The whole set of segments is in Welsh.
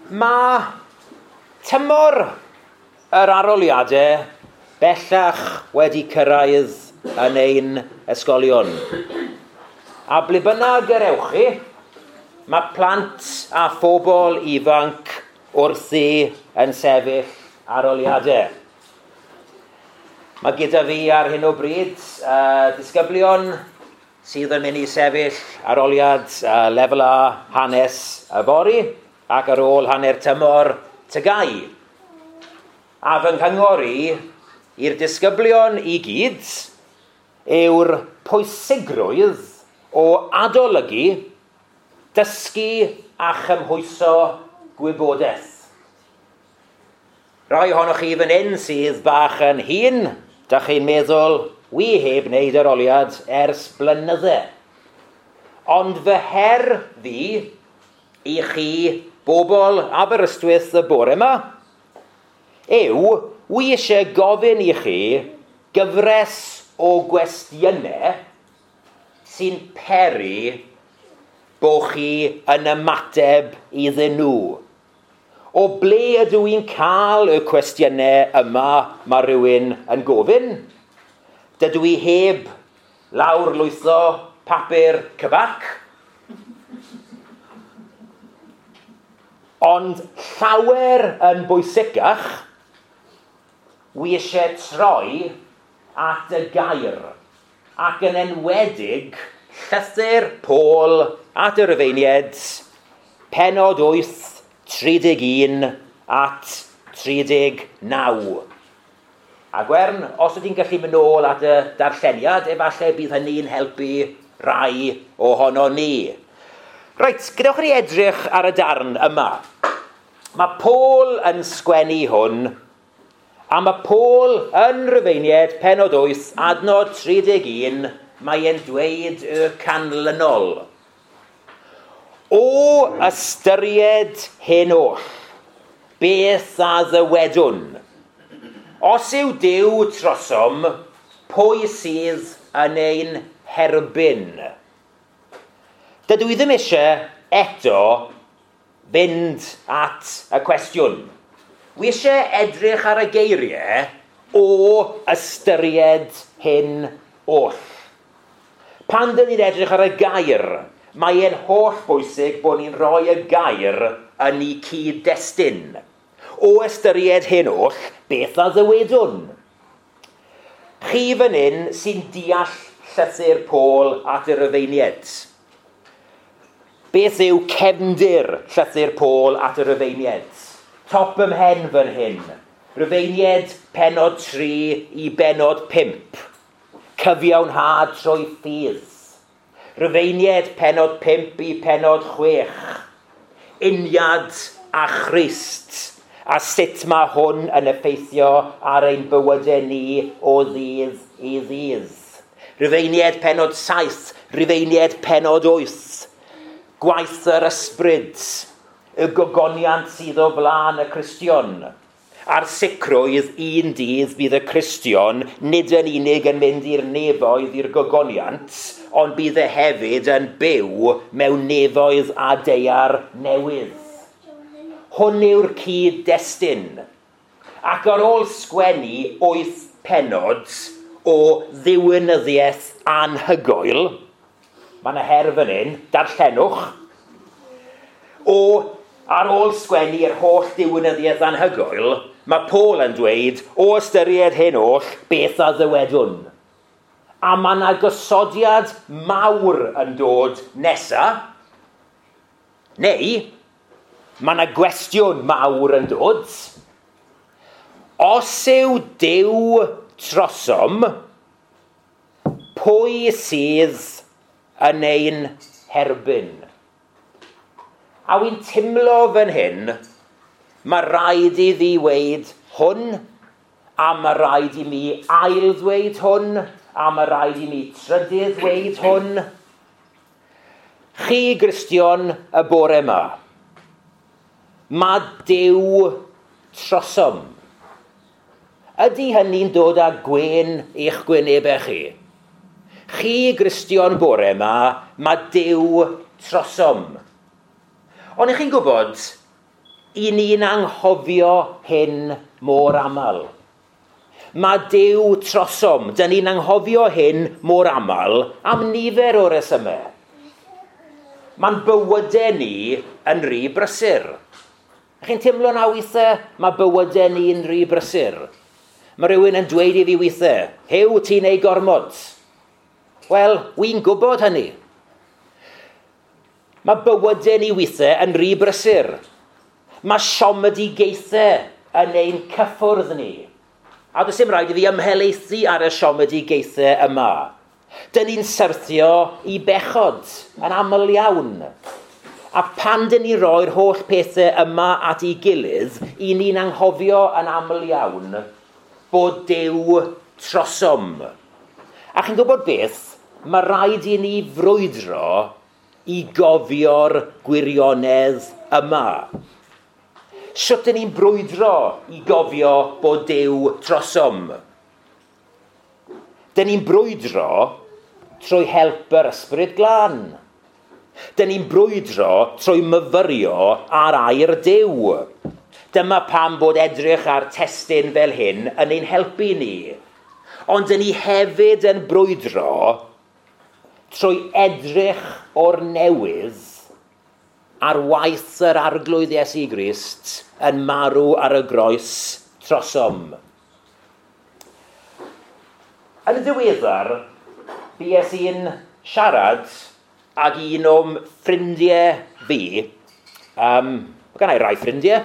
Mae tymor yr arholiadau bellach wedi cyrraedd yn ein ysgolion. A ble bynnag yr ewch chi, mae plant a phobl ifanc wrthi yn sefyll arholiadau. Mae gyda fi ar hyn o bryd disgyblion sydd yn mynd i sefyll arholiad lefel A hanes yfory ac ar ôl hanner tymor TGAU. A fy nghyngor i i'r disgyblion i gyd yw'r pwysigrwydd o adolygu, dysgu a chymhwyso gwybodaeth. Rai ohonoch chi fan hyn sydd bach yn hŷn, dach chi'n meddwl, wi heb wneud arholiad ers blynydde. Ond fy her fi i chi bobl Aberystwyth y bore yma yw, wi eisiau gofyn i chi gyfres o gwestiynau sy'n peri bo chi yn ymateb iddyn nhw. O ble ydw i'n cael y cwestiynau yma mae rhywun yn gofyn? Dydw i heb lawr lwytho papur cyfarch. Ond llawer yn bwysicach, wi eisiau troi at y gair, ac yn enwedig llythyr Paul at y Rufeiniaid, pennod 8, 31 at 39. A Gwern, os ydych chi'n gallu mynd nôl at y darlleniad, efallai bydd hynny'n helpu rai ohono ni. Reit, gadewch i ni edrych ar y darn yma. Mae Paul yn sgwennu hwn, a mae Paul yn Rufeiniaid, pennod 8, adnod 31, mae e'n dweud y canlynol. O ystyried hyn oll, beth a ddywedwn? Os yw Duw trosom, pwy sydd yn ein herbyn? Dydw i ddim eisiau eto fynd at y cwestiwn. Wi eisiau edrych ar y geiriau o ystyried hyn oll. Pan dyn ni'n edrych ar y gair, mae e'n holl bwysig bod ni'n rhoi y gair yn ei cyd-destun. O ystyried hyn oll, beth a ddywedwn? Chi fan hyn sy'n deall llythyr Paul at y Rufeiniaid. Beth yw cefndir llythyr Paul at y Rufeiniaid? Top ym mhen fan hyn. Rufeiniaid pennod 3 i bennod 5. Cyfiawnhad trwy ffydd. Rufeiniaid pennod 5 i pennod 6. Uniad a Christ. A sut mae hwn yn effeithio ar ein bywydau ni o ddydd i ddydd. Rufeiniaid pennod 7, Rufeiniaid pennod 8. Gwaith yr ysbryd, y gogoniant sydd o flaen y Cristion. A'r sicrwydd un dydd bydd y Cristion nid yn unig yn mynd i'r nefoedd i'r gogoniant, ond bydd e hefyd yn byw mewn nefoedd a daear newydd. Hwn yw'r cyd-destun. Ac ar ôl sgwennu 8 pennod o ddiwinyddiaeth anhygoel, mae yna her fan hyn, darllenwch, o ar ôl sgwennu'r holl diwinyddiaeth anhygoel, mae Paul yn dweud, o ystyried hyn oll, beth a ddywedwn? A mae yna gosodiad mawr yn dod nesa, neu mae yna gwestiwn mawr yn dod. Os yw Duw trosom, pwy sydd yn ein herbyn? A wy'n timlo fan hyn, mae rhaid i fi weud hwn, a mae rhaid i mi ail ddweud hwn, a mae rhaid i mi trydydd ddweud hwn. Chi Gristion y bore yma, mae Duw trosom. Ydy hynny'n dod â gwên i'ch gwynebau chi? Chi Gristion bore yma, mae Duw trosom. Ond ych chi'n gwybod, I ni'n anghofio hyn mor aml. Mae Duw trosom, dyn ni'n anghofio hyn mor aml am nifer o resymau. Mae'n bywydau ni yn rhy brysur. Chi'n teimlo na weithiau? Mae bywydau ni'n rhy brysur. Mae rhywun yn dweud i fi weithiau, "Hew, ti'n ei gormod." Wel, wy'n gwybod hynny. Mae bywydau ni weithiau yn rhy brysur. Mae siomedigaethau yn ein cyffwrdd ni. A does dim rhaid i fi ymhelaethu ar y siomedigaethau yma. Dyn ni'n syrthio i bechod yn aml iawn. A pan dyn ni'n rhoi'r holl pethau yma at ei gilydd, i ni'n anghofio yn aml iawn bod Duw trosom. A chi'n gwybod beth? Mae rhaid i ni frwydro i gofio'r gwirionedd yma. Sut ydyn ni'n brwydro i gofio bod Duw trosom? Dyn ni'n brwydro trwy help yr Ysbryd Glân. Dyn ni'n brwydro trwy myfyrio ar air Duw. Dyma pam bod edrych ar testun fel hyn yn ein helpu ni. Ond dyn ni hefyd yn brwydro trwy edrych o'r newydd ar waith yr Arglwydd Iesu Grist yn marw ar y groes trosom. Yn y ddiweddar, bues i'n siarad ag un o'm ffrindiau fi. Mae gen i rai ffrindiau.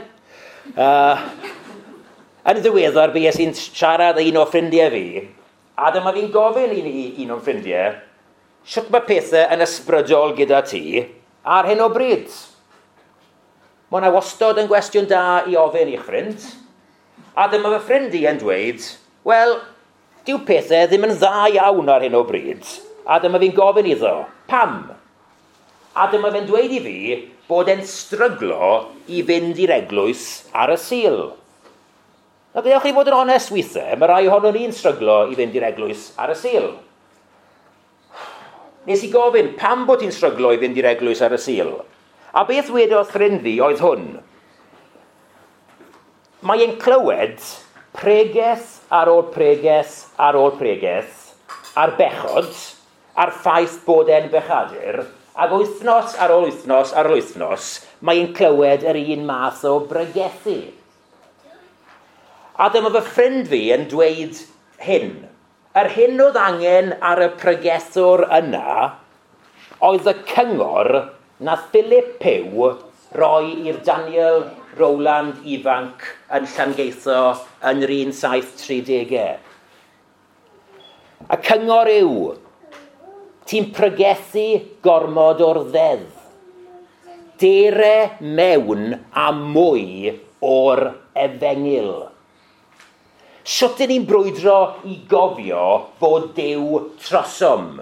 Yn y ddiweddar, bues i'n siarad ag un o ffrindiau fi, a dyma fi'n gofyn i un o'n ffrindiau, sut mae pethau yn ysbrydol gyda ti ar hyn o bryd? Mae hwnna wastod yn gwestiwn da i ofyn i'ch ffrind. A dyma fy ffrind i yn dweud, wel, dyw pethau ddim yn dda iawn ar hyn o bryd. A dyma fi'n gofyn iddo, pam? A dyma fe'n dweud i fi bod e'n stryglo i fynd i'r eglwys ar y Sul. Na, gadewch chi fod yn onest weithiau, mae rai ohono ni'n stryglo i fynd i'r eglwys ar y Sul. Nes i gofyn, pam bod ti'n stryglo i fynd i'r eglwys ar y Sul? A beth wedodd ffrind fi oedd hwn? Mae e'n clywed pregeth ar ôl pregeth ar ôl pregeth ar bechod, a'r ffaith bod e'n bechadur, ac wythnos ar ôl wythnos ar ôl wythnos, mae e'n clywed yr un math o bregethu. A dyma fy ffrind fi yn dweud hyn. Yr hyn oedd angen ar y pregethwr yna oedd y cyngor na Philip Pugh roi i'r Daniel Rowland ifanc yn Llangeitho yn yr 1730au. Y cyngor yw, ti'n pregethu gormod o'r ddeddf. Dere mewn a mwy o'r efengyl. Sut ydyn ni'n brwydro i gofio fod Duw trosom?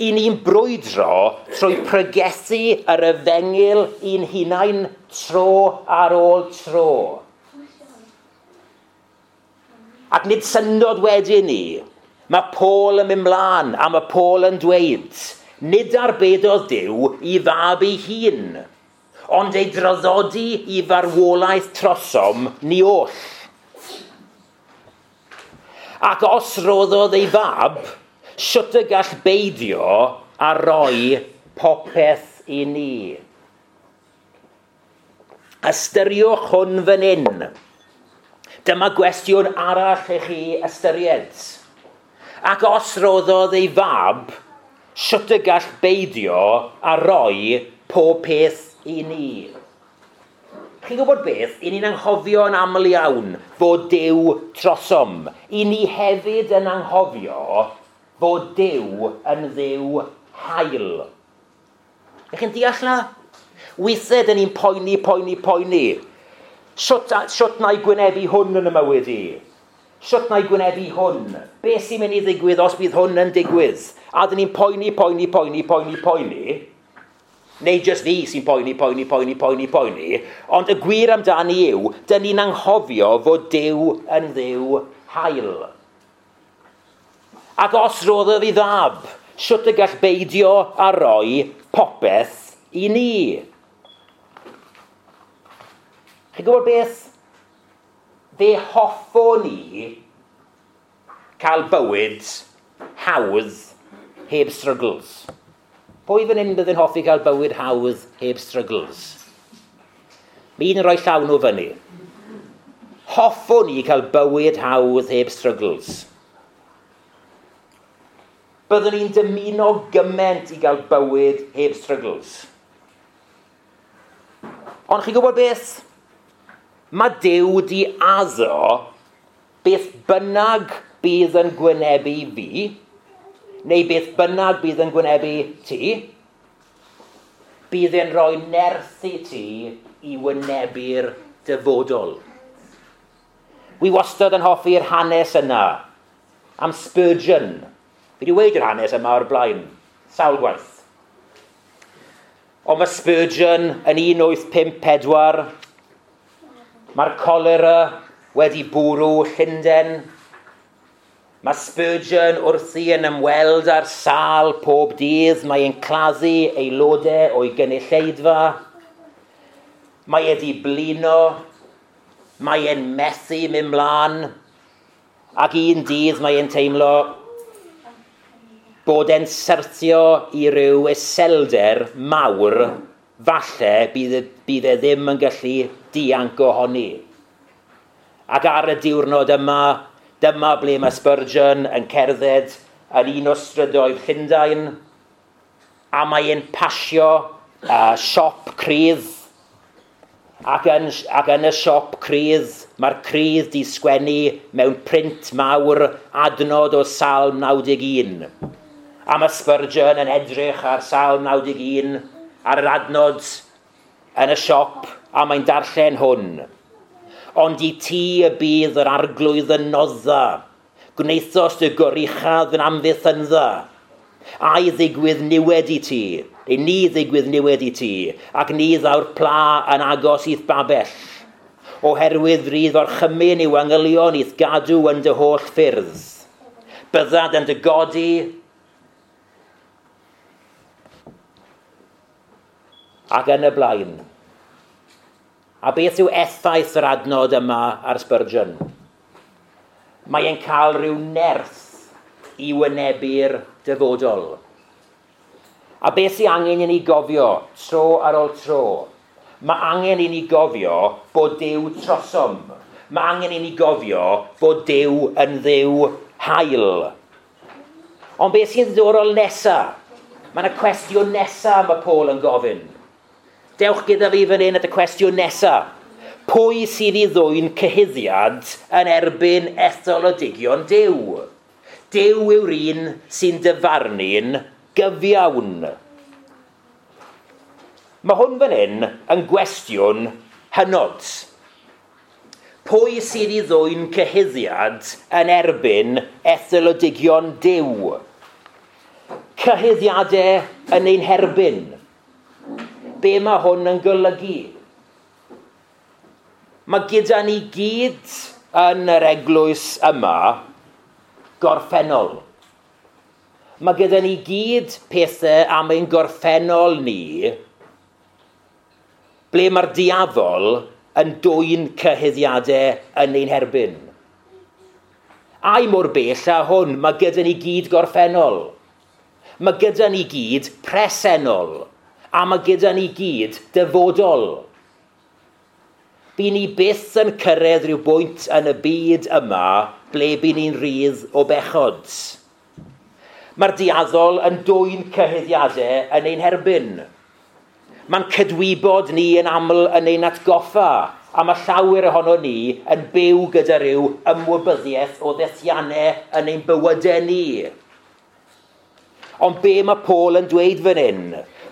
I ni'n brwydro trwy pregethu yr efengyl i'n hunain tro ar ôl tro. Ac nid syndod wedyn ni, mae Paul yn mynd mlaen a mae Paul yn dweud, nid arbedodd Duw i fab ei hun, ond ei draddodi i farwolaeth trosom ni oll. Ac os roddodd ei fab, sut y gall beidio a roi popeth i ni? Ystyriwch hwn fan hyn. Dyma gwestiwn arall i chi ystyried. Ac os roddodd ei fab, sut y gall beidio a roi pob peth i ni? Chi'n gwybod beth? I ni'n anghofio yn aml iawn fod Duw trosom. I ni hefyd yn anghofio fod Duw yn Dduw hael. Ych chi'n deall na? Weithiau dyn ni'n poeni, poeni, poeni. Sut na i gwynebu hwn yn y mywyd i? Sut na i gwynebu hwn? Be sy'n mynd i ddigwydd os bydd hwn yn digwydd? A dyn ni'n poeni, poeni, poeni, poeni, poeni. Neu jyst fi sy'n poeni, poeni, poeni, poeni, poeni. Ond y gwir amdani yw, dyn ni'n anghofio fod Duw yn Dduw hael. Ac os roddodd ei fab, sut y gall beidio a roi popeth i ni? Chi'n gwybod beth? Fe hoffwn ni cael bywyd hawdd heb struggles. Pwy fan hyn bydd yn hoffi cael bywyd hawdd heb struggles? Mae un yn rhoi llaw nhw fyny. Hoffwn ni cael bywyd hawdd heb struggles. Byddwn ni'n dymuno gymaint i gael bywyd heb struggles. Ond chi'n gwybod beth? Mae Duw di addo beth bynnag bydd yn gwynebu fi, neu beth bynnag bydd yn gwynebu ti, bydd e'n rhoi nerth i ti i wynebu'r dyfodol. Wi wastad yn hoffi'r hanes yna am Spurgeon. Fi wedi weud yr hanes yma o'r blaen, sawl gwaith. Ond mae Spurgeon yn 1854, mae'r cholera wedi bwrw Llundain. Mae Spurgeon wrthi yn ymweld â'r sâl pob dydd. Mae e'n claddu aelodau o'i gynulleidfa. Mae e di blino. Mae e'n methu mynd mlaen. Ac un dydd mae e'n teimlo bod e'n syrthio i ryw iselder mawr, falle bydd e ddim yn gallu dianc ohoni. Ac ar y diwrnod yma, dyma ble mae Spurgeon yn cerdded yn un o strydoedd Llundain, a mae e'n pasio siop crydd. Ac yn y siop crydd, mae'r crydd di sgwennu mewn print mawr adnod o Salm 91. A mae Spurgeon yn edrych ar Salm 91, ar yr adnod yn y siop, a mae'n darllen hwn. Ond i ti y bydd yr arglwydd yn nodda, gwnaethost y goruchaf yn amddiffyndda. A'i ddigwydd niwed i ti, neu ni ddigwydd niwed i ti, ac ni ddaw'r pla yn agos i'th babell. Oherwydd rydd orchymyn i'w angylion i'th gadw yn dy holl ffyrdd. Byddad yn dy godi, ac yn y blaen. A beth yw effaith yr adnod yma ar Spurgeon? Mae e'n cael rhyw nerth i wynebu'r dyfodol. A beth sy'n angen i ni gofio tro ar ôl tro? Mae angen i ni gofio bod Duw trosom. Mae angen i ni gofio bod Duw yn Dduw hael. Ond beth sy'n ddiddorol nesaf? Mae yna cwestiwn nesaf mae Paul yn gofyn. Dewch gyda fi fan hyn at y cwestiwn nesaf. Pwy sydd i ddwyn cyhuddiad yn erbyn etholodigion Duw? Duw yw'r un sy'n dyfarnu'n gyfiawn. Mae hwn fan hyn yn gwestiwn hynod. Pwy sydd i ddwyn cyhuddiad yn erbyn etholodigion Duw? Cyhuddiadau yn ein herbyn. Be mae hwn yn golygu? Mae gyda ni gyd yn yr eglwys yma gorffennol. Mae gyda ni gyd pethau am ein gorffennol ni ble mae'r diafol yn dwyn cyhuddiadau yn ein herbyn. Ai mor bell â hwn, mae gyda ni gyd gorffennol. Mae gyda ni gyd presennol. A mae gyda ni gyd dyfodol. By ni byth yn cyrraedd rhyw bwynt yn y byd yma ble by ni'n rhydd o bechod. Mae'r diaddol yn dwyn cyhuddiadau yn ein herbyn. Mae'n cydwybod ni yn aml yn ein atgoffa, a mae llawer ohono ni yn byw gyda rhyw ymwybyddiaeth o ddethiannau yn ein bywydau ni. Ond be mae Paul yn dweud fan hyn?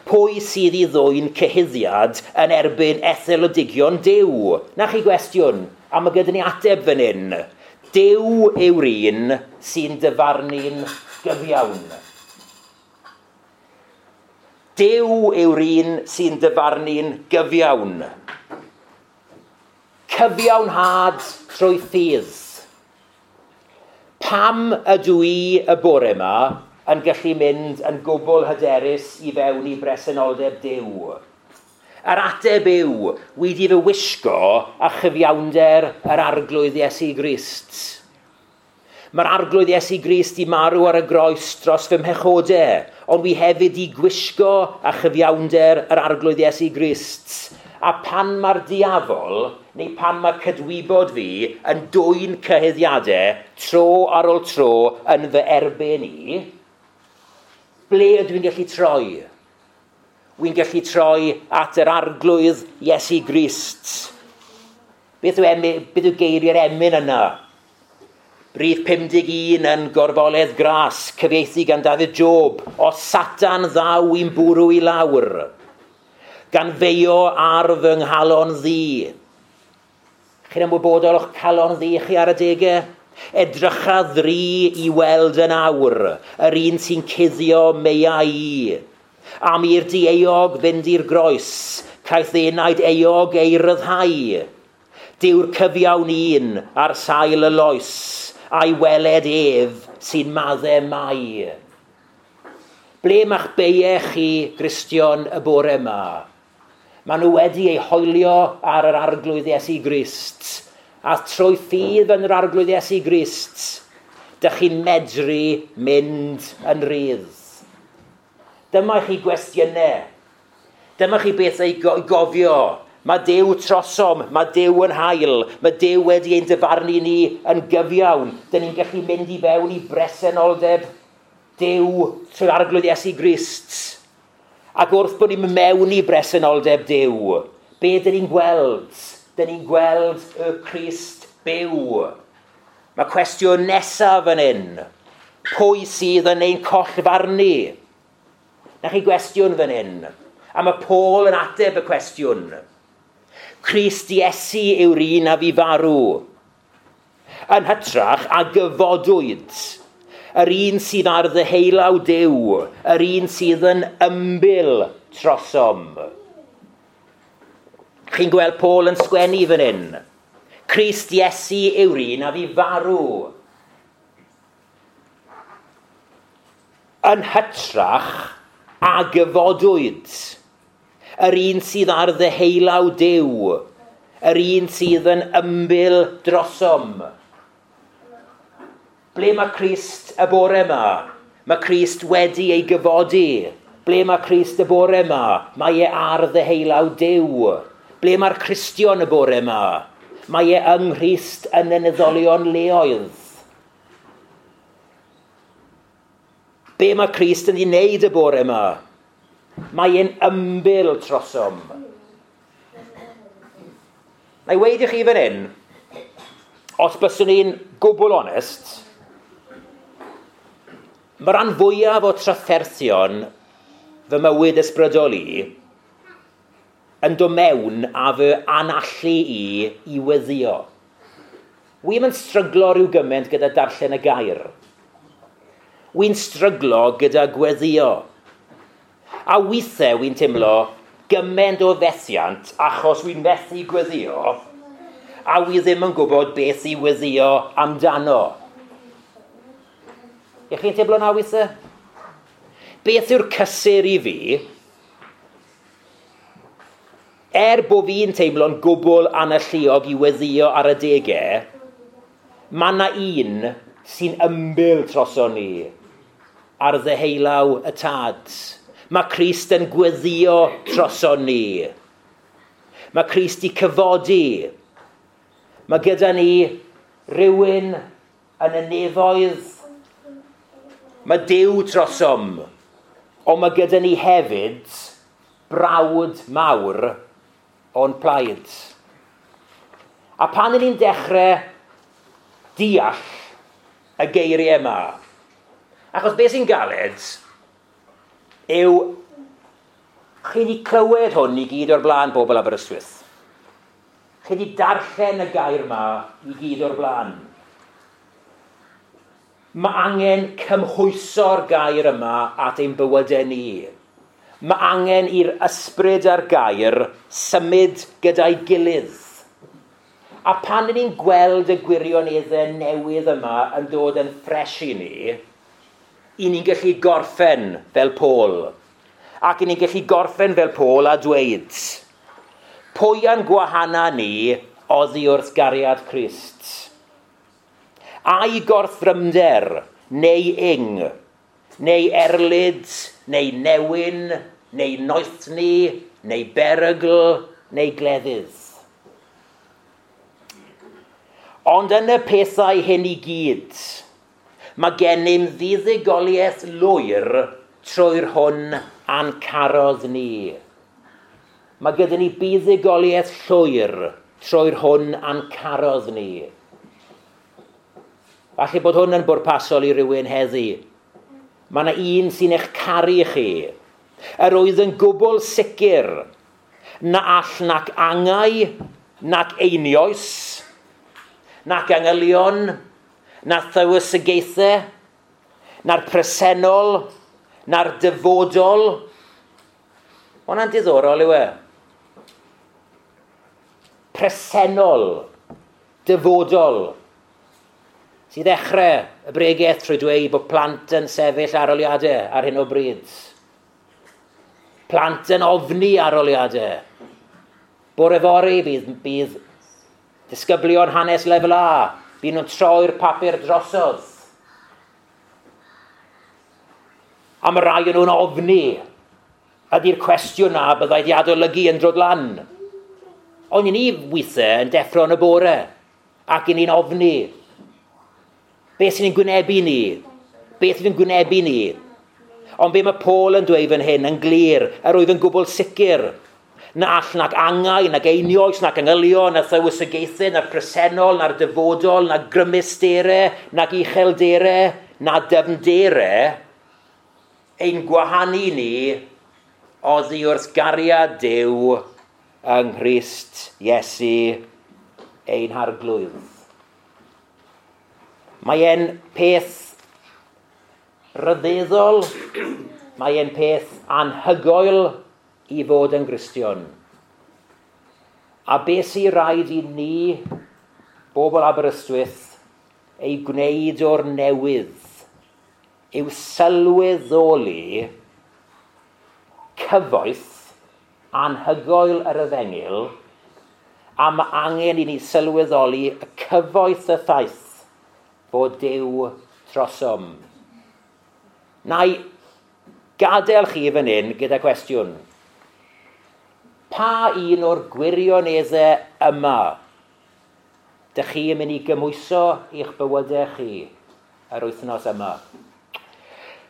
Pwy sydd i ddwyn cyhuddiad yn erbyn etholodigion Duw? Na chi gwestiwn, a mae gyda ni ateb fan hyn. Duw yw'r un sy'n dyfarnu'n gyfiawn. Duw yw'r un sy'n dyfarnu'n gyfiawn. Cyfiawnhad trwy ffydd. Pam ydw i y bore yma yn gallu mynd yn gwbl hyderus i fewn i bresenoldeb Duw? Yr ateb yw, wedi fy wisgo a chyfiawnder yr Arglwydd Iesu Grist. Mae'r Arglwydd Iesu Grist i marw ar y groes dros fy mhechodau, ond wi hefyd i gwisgo a chyfiawnder yr Arglwydd Iesu Grist. A pan mae'r diafol, neu pan mae cydwybod fi yn dwyn cyhuddiadau tro ar ôl tro yn fy erbyn i, ble ydw i'n gallu troi? Wy'n gallu troi at yr Arglwydd Iesu Grist. Beth yw geiriau'r emyn yna? Rhif 51 yn Gorfoledd Gras, cyfieithu gan Dafydd Job, o Satan ddaw i'n bwrw i lawr, gan feio ar fy nghalon ddi. Chi'n ymwybodol o'ch calon ddi chi ar adegau? Edrycha ddri i weld yn awr, yr un sy'n cuddio meia i. Am i'r dieuog fynd i'r groes, caiff enaid euog ei ryddhau. Dyw'r cyfiawn un ar sail y loes, a'i weled ef sy'n maddau mai. Ble ma'ch beiau chi, Gristion, y bore yma? Maen nhw wedi eu hoelio ar yr Arglwydd Iesu Grist, a trwy ffydd yn yr Arglwydd Iesu Grist, dych chi'n medru mynd yn rhydd. Dyma chi gwestiynau. Dyma chi beth ei gofio. Mae Duw trosom, mae Duw yn hael, mae Duw wedi ein dyfarnu ni yn gyfiawn. Dyn ni'n gallu mynd i fewn i bresenoldeb Duw trwy'r Arglwydd Iesu Grist. Ac wrth bod ni'n mewn i bresenoldeb Duw, be dyn ni'n gweld? Dyn ni'n gweld y Crist byw. Mae cwestiwn nesaf yn hyn. Pwy sydd yn ein collfarnu? Na chi gwestiwn fan hyn. A mae Paul yn ateb y cwestiwn. Crist Iesu yw'r un a fi farw. Yn hytrach a gyfodwyd. Yr un sydd ar ddeheulaw Duw. Yr un sydd yn ymbil trosom. Chi'n gweld Paul yn sgwennu fan hyn. Crist Iesu yw'r un a fi farw. Yn hytrach a gyfodwyd. Yr un sydd ar ddeheulaw Duw, yr un sydd yn ymbil drosom. Ble mae Crist y bore yma? Mae Crist wedi ei gyfodi. Ble mae Crist y bore yma? Mae e ar ddeheulaw Duw. Ble mae'r Cristion y bore yma? Mae e yng Nghrist yn y neddolion leoedd. Be mae Crist yn ei wneud y bore yma? Mae e'n ymbil trosom. Na i weud i chi fan hyn, os byswn i'n gwbl onest, mae rhan fwyaf o trafferthion fy mywyd ysbrydol i yn dod mewn a fy anallu i weddïo. Wi'm yn stryglo rhyw gymaint gyda darllen y gair. Wi'n stryglo gyda gweddïo. A weithiau wi'n teimlo gymaint o fethiant achos wi'n methu gweddïo a wi ddim yn gwybod beth i weddïo amdano. Ych chi'n teimlo na weithiau? Beth yw'r cysur i fi? Er bod fi'n teimlo'n gwbl analluog i weddïo ar adegau, mae yna un sy'n ymbil troson ni ar ddeheulaw y Tad. Mae Crist yn gweddïo troson ni. Mae Crist i cyfodi. Mae gyda ni rhywun yn y nefoedd. Mae Duw trosom. Ond mae gyda ni hefyd brawd mawr o'n plaid. A pan ydyn ni'n dechrau deall y geiriau yma, achos beth sy'n galed yw chi wedi clywed hwn i gyd o'r blaen, bobl Aberystwyth. Chi wedi darllen y gair yma i gyd o'r blaen. Mae angen cymhwyso'r gair yma at ein bywydau ni. Mae angen i'r ysbryd a'r gair symud gyda'i gilydd. A pan ni'n gweld y gwirioneddau newydd yma yn dod yn ffres i ni, i ni'n gallu gorffen fel Paul. Ac i ni'n gallu gorffen fel Paul a dweud, Pwy a'n gwahana ni oddi wrth gariad Crist? Ai gorthrymder, neu ing, neu erlid, neu newyn, neu noethni, neu berygl, neu gleddydd. Ond yn y pethau hyn i gyd, mae gennym fuddugoliaeth lwyr trwy'r hwn a'n carodd ni. Mae gyda ni buddugoliaeth llwyr trwy'r hwn a'n carodd ni. Falle bod hwn yn bwrpasol i rywun heddi. Mae yna un sy'n eich caru chi. Yr oedd yn gwbl sicr na all nac angau, nac einioes, nac angylion, na thywysogaethau, na'r presennol, na'r dyfodol. Hwna'n diddorol yw e. Presennol, dyfodol. Sydd ddechrau y bregaeth trwy dweud bod plant yn sefyll arholiadau ar hyn o bryd. Plant yn ofni arholiadau. Bore fory bydd disgyblion hanes lefel A, bydd nhw'n troi'r papur drosodd. A mae rai o'n nhw'n ofni. Ydy'r cwestiwn na byddai di adolygu yn dod lan. Ond i ni weithiau yn deffro yn y bore ac i ni'n ofni. Beth sy'n gwynebu ni? Beth sy'n gwynebu ni? Ond be mae Paul yn dweud fan hyn yn glir, yr oedd yn gwbl sicr, na all nac angau, nac einioes, nac angylion, na thywysogaethau, na'r presennol, na'r dyfodol, na grymusderau, nac uchelderau, na dyfnderau, ein gwahanu ni oddi wrth gariad Duw yng Nghrist Iesu ein harglwydd. Mae e'n peth rhyfeddol, mae e'n peth anhygoel i fod yn Gristion. A beth sy'n rhaid i ni, bobl Aberystwyth, ei gwneud o'r newydd yw sylweddoli cyfoeth anhygoel yr efengyl, a mae angen i ni sylweddoli y cyfoeth y ffaith bod Duw trosom. Na i gadael chi fan hyn gyda cwestiwn. Pa un o'r gwirioneddau yma dych chi yn mynd i gymhwyso i'ch bywydau chi yr wythnos yma?